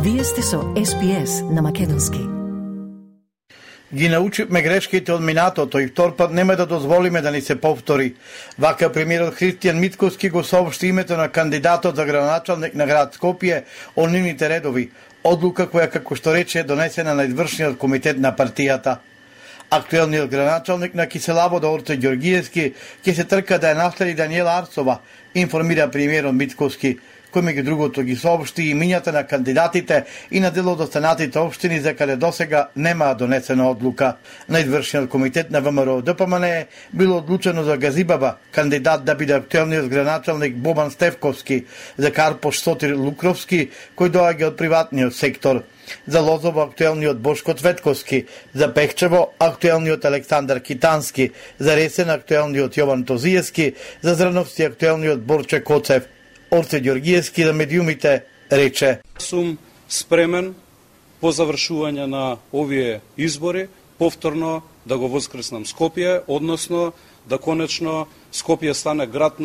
Вие сте со SPS на македонски. Ги научивме грешките од минатото и втор пат нема да дозволиме да ни се повтори. Вака премиерот Христијан Мицковски го соопшти името на кандидатот за градоначалник на град Скопје од нивните редови. Одлука која, како што рече, е донесена на извршниот комитет на партијата. Актуелниот градоначалник на Киселавода Орце Ѓоргиевски ќе се трка да ја наследи Даниела Арсова, информира премиерот Мицковски, кој меѓу другото ги соопшти и имињата на кандидатите и на дел од останатите општини за каде досега нема донесена одлука. На извршниот комитет на ВМРО ДПМН било одлучено за Газибаба, кандидат да биде актуелниот градоначалник Бобан Стефковски, за Карпош Сотир Лукровски, кој доаѓа од приватниот сектор, за Лозово актуелниот Бошко Цветковски, за Пехчево актуелниот Александар Китански, за Ресен актуелниот Јован Тозиевски, за Зрановци актуелниот Борче Коцев. Орце Ѓоргиевски на медиумите рече: Сум спремен по завршување на овие избори повторно да го воскреснам Скопје, односно да конечно Скопје стане град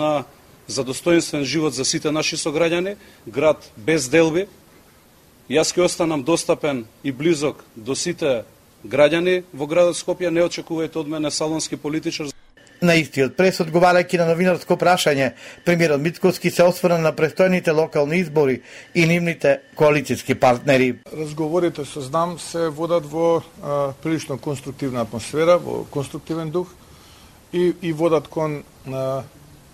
за достоинствен живот за сите наши сограѓани, град без делби. Јас ќе останам достапен и близок до сите граѓани во градот Скопје, не очекувајте од мене салонски политичар. На истиот прес, одговарајќи на новинарско прашање, премиерот Мицковски се осврна на престојните локални избори и нивните коалицијски партнери. Разговорите со знам се водат во прилично конструктивна атмосфера, во конструктивен дух и водат кон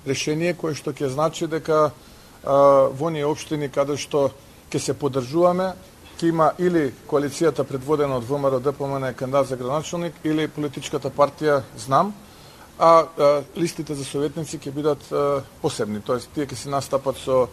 решение кое што ќе значи дека во оние општини каде што ќе се поддржуваме, ќе има или коалицијата предводена од ВМРО ДПМН кандидат за градоначалник или политичката партија Знам, а листите за советници ќе бидат посебни, тоест тие ќе се настапат со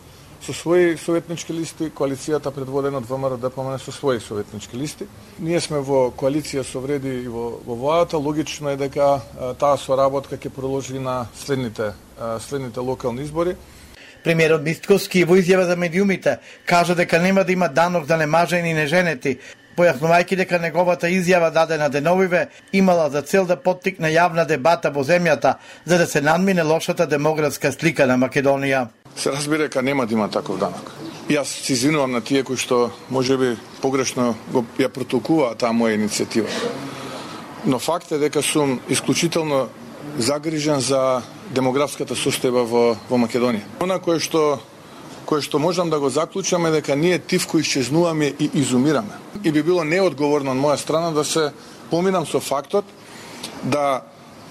своји советнички листи, коалицијата предводена од ВМРО ДПМН со своји советнички листи. Ние сме во коалиција со Вреди и во владата, логично е дека таа соработка ќе продолжи на следните локални избори. Премиерот Мицковски во изјава за медиумите кажа дека нема да има данок за немажени и неженети, појаснувајќи дека неговата изјава дадена деновиве имала за цел да поттикне јавна дебата во земјата за да се надмине лошата демографска слика на Македонија. Се разбира дека нема да има таков данок. Јас се извинувам на тие кои што можеби погрешно ја протолкуваат таа моја иницијатива. Но факт е дека сум исклучително загрижен за демографската состојба во Македонија. Она кое што можам да го заклучам е дека ние тивко исчезнуваме и изумираме. И би било неодговорно од моја страна да се поминам со фактот да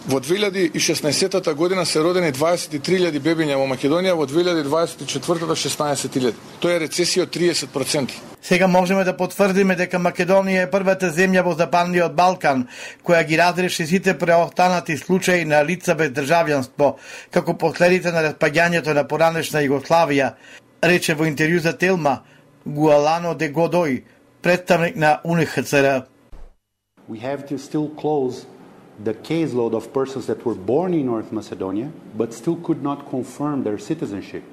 во 2016 година се родени 23.000 бебиња во Македонија, во 2024 16.000. Тоа е рецесија од 30%. Сега можеме да потврдиме дека Македонија е првата земја во Западниот Балкан која ги разреши сите преостанати случаи на лица без државјанство како последица на распаѓањето на поранешна Југославија, рече во интервју за Телма Гуалано де Годој, представник на УНХЦР. We have to still close the caseload of persons that were born in North Macedonia but still could not confirm their citizenship.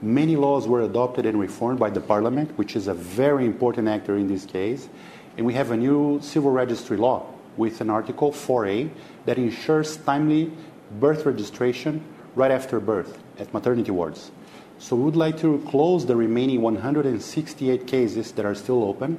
Many laws were adopted and reformed by the Parliament, which is a very important actor in this case, and we have a new civil registry law with an Article 4A that ensures timely birth registration right after birth at maternity wards. So we would like to close the remaining 168 cases that are still open.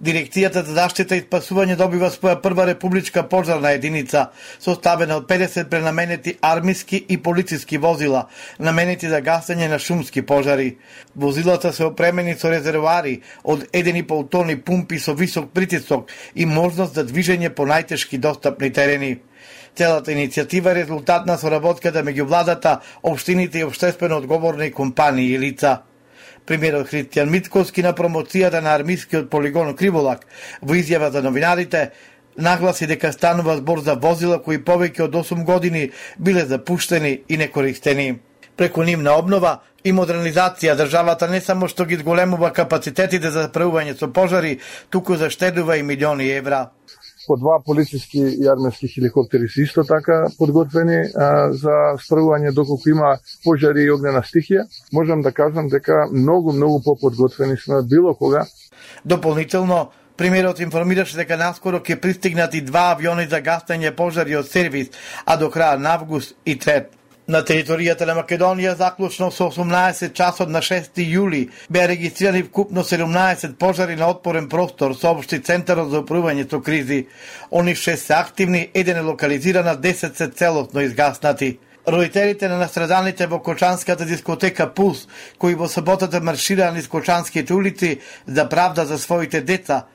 Дирекцијата за заштита и спасување добива своја прва републичка пожарна единица, составена од 50 пренаменети армиски и полициски возила, наменети за гасење на шумски пожари. Возилата се опремени со резервоари од 1,5 тони пумпи со висок притисок и можност за движење по најтешки достапни терени. Целата иницијатива е резултат на соработката меѓу владата, општините и општествено одговорни компании и лица. Премиерот Христијан Мицковски на промоцијата на армискиот полигон Криволак во изјава за новинарите нагласи дека станува збор за возила кои повеќе од 8 години биле запуштени и некористени. Преку нивна обнова и модернизација државата не само што ги зголемува капацитетите за справување со пожари, туку заштедува и милиони евра. По 2 полициски и армиски хеликоптери се исто така подготвени за справување доколку има пожари и огнена стихија. Можам да кажам дека многу поподготвени сме било кога. Дополнително, премиерот информираше дека наскоро ќе пристигнат и 2 авиони за гасење пожари од сервис, а до крај на август и трет. На територијата на Македонија заклучно со 18 часот на 6 јули беа регистрирани вкупно 17 пожари на отпорен простор, соопшти Центарот за управување со кризи. Они 6 се активни, еден е локализиран, 10 се целосно изгаснати. Родителите на настраданите во Кочанската дискотека Пулс, кои во саботата маршираа низ Кочанските улици за правда за своите деца,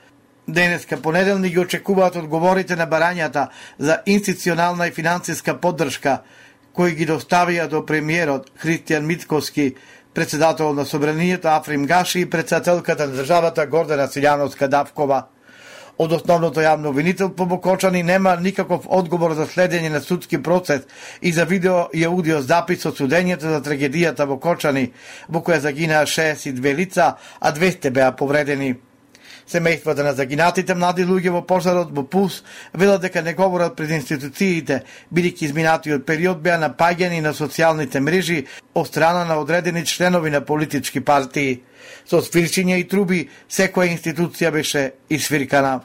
денеска понеделник ги очекуваат одговорите на барањата за институционална и финансиска поддршка, кои ги доставија до премиерот Христијан Мицкоски, председател на Собранието Африм Гаши и председателката на државата Гордана Силјановска-Давкова. Од основното јавно обвинител по Бокочани нема никаков одговор за следење на судски процес и за видео и аудио запис од судењето за трагедијата во Кочани, во која загинаа 62 лица, а 200 беа повредени. Семејствата на загинатите млади луѓе во пожарот во Пулс велат дека не говорат пред институциите, бидејќи изминатиот период беа напаѓани на социјалните мрежи од страна на одредени членови на политички партии. Со свирчиња и труби, секоја институција беше исвиркана.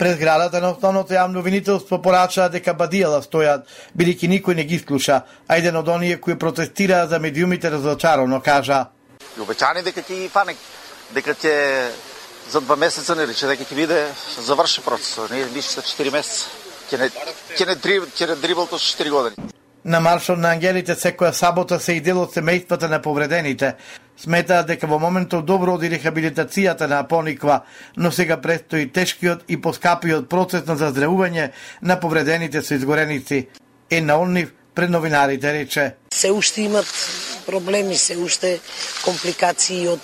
Пред зградата на основното јавно обвинителство порачаа дека бадијала стојат, бидејќи никој не ги слуша, а еден од оние кои протестираа за медиумите разочарано кажа: Обечани дека ќе ги фане, дека ќе за 2 месеца не рече дека ќе биде заврши процесот, не више за 4 месеца. Ќе не дрибалто со 4 години. На маршот на ангелите секоја сабота се и дел од семејствата на повредените. Сметаат дека во моментот добро оди рехабилитацијата на Пониква, но сега престои тешкиот и поскапиот процес на заздравување на повредените со изгореници. На оннив пред новинарите рече: Се уште имат проблеми, се уште компликации од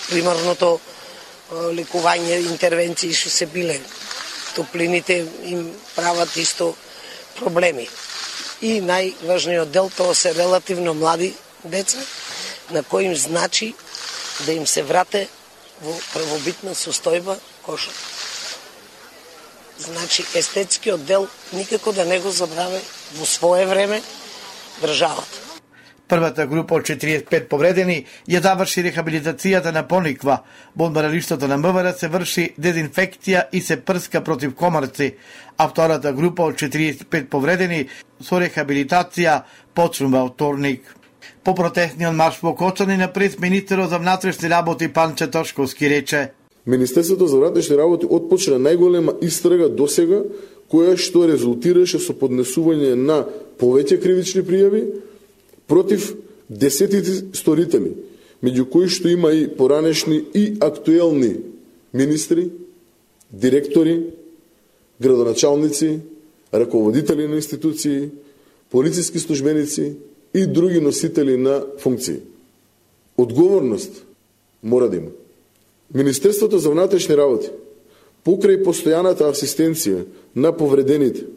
примарното лекување, интервенции што се биле. Топлините им прават исто проблеми. И најважниот дел тоа се релативно млади деца, на кои им значи да им се врате во првобитна состојба кожа. Значи естетскиот дел никако да не го забраве во свое време државата. Првата група од 45 повредени ја заврши рехабилитацијата на Пониква. Во одмаралиштето на МВР се врши дезинфекција и се прска против комарци, а втората група од 45 повредени со рехабилитација почнува од вторник. По протестниот марш во Кочани на прес министерот за внатрешни работи Панче Тошковски рече: Министерството за внатрешни работи отпочна најголема истрага досега, која што резултираше со поднесување на повеќе кривични пријави против десетици сторители, меѓу кои што има и поранешни и актуелни министри, директори, градоначалници, раководители на институции, полициски службеници и други носители на функции. Одговорност мора да има. Министерството за внатрешни работи, покрај постојаната асистенција на повредените,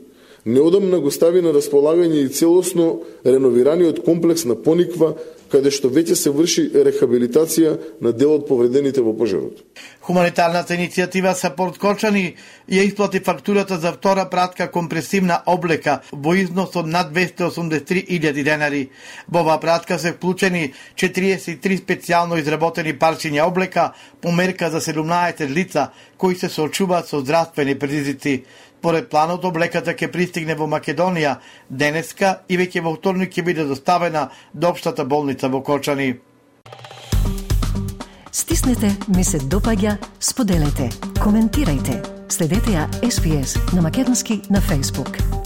неодамна го стави на располагање и целосно реновираниот комплекс на Пониква, каде што веќе се врши рехабилитација на дел од повредените во пожарот. Хуманитарната иницијатива Сапорт Кочани ја исплати фактурата за втора пратка компресивна облека во износ од над 283.000 денари. Во оваа пратка се вклучени 43 специјално изработени парчиња облека по мерка за 17 лица кои се соочуваат со здравствени предизвици. Поред планот, облеката ќе пристигне во Македонија денеска и веќе во вторник ќе биде доставена до општата болница во Кочани. Стиснете, ми се допаѓа, споделете, коментирајте. Следете ја SPS на Македонски на Facebook.